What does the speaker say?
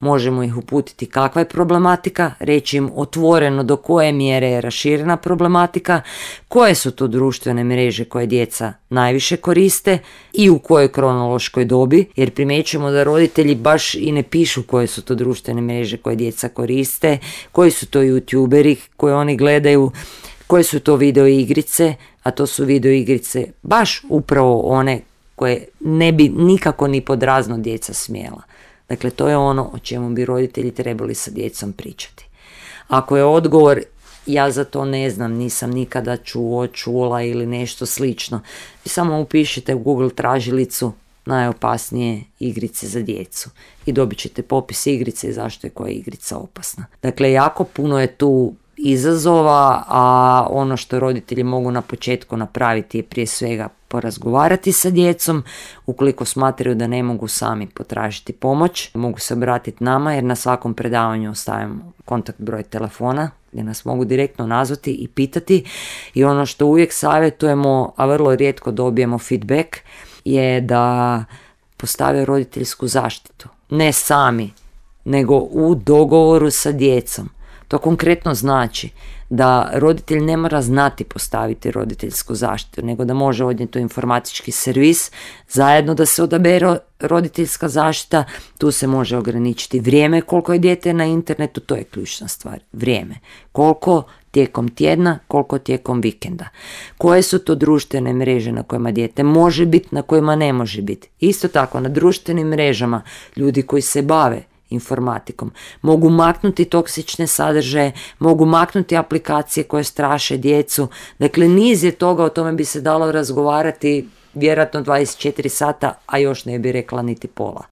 Možemo ih uputiti kakva je problematika, reći im otvoreno do koje mjere je raširena problematika, koje su to društvene mreže koje djeca najviše koriste i u kojoj kronološkoj dobi, jer primjećujemo da roditelji baš i ne pišu koje su to društvene mreže koje djeca koriste, koji su to youtuberi koje oni gledaju, koje su to video igrice, a to su video igrice baš upravo one koje ne bi nikako ni pod razno djeca smjela. Dakle, to je ono o čemu bi roditelji trebali sa djecom pričati. Ako je odgovor ja za to ne znam, nisam nikada čula ili nešto slično, vi samo upišite u Google tražilicu najopasnije igrice za djecu i dobit ćete popis igrice i zašto je koja igrica opasna. Dakle, jako puno je tu izazova, a ono što roditelji mogu na početku napraviti je prije svega porazgovarati sa djecom. Ukoliko smatraju da ne mogu sami potražiti pomoć, mogu se obratiti nama jer na svakom predavanju ostavimo kontakt broj telefona gdje nas mogu direktno nazvati i pitati. I ono što uvijek savjetujemo, a vrlo rijetko dobijemo feedback, je da postave roditeljsku zaštitu. Ne sami, nego u dogovoru sa djecom. To konkretno znači da roditelj ne mora znati postaviti roditeljsku zaštitu, nego da može odnijeti u informatički servis, zajedno da se odabere roditeljska zaštita. Tu se može ograničiti vrijeme koliko je dijete na internetu, to je ključna stvar, vrijeme. Koliko tijekom tjedna, koliko tijekom vikenda. Koje su to društvene mreže na kojima dijete može biti, na kojima ne može biti. Isto tako, na društvenim mrežama ljudi koji se bave informatikom mogu maknuti toksične sadržaje, mogu maknuti aplikacije koje straše djecu. Dakle, niz je toga, o tome bi se dalo razgovarati vjerojatno 24 sata, a još ne bi rekla niti pola.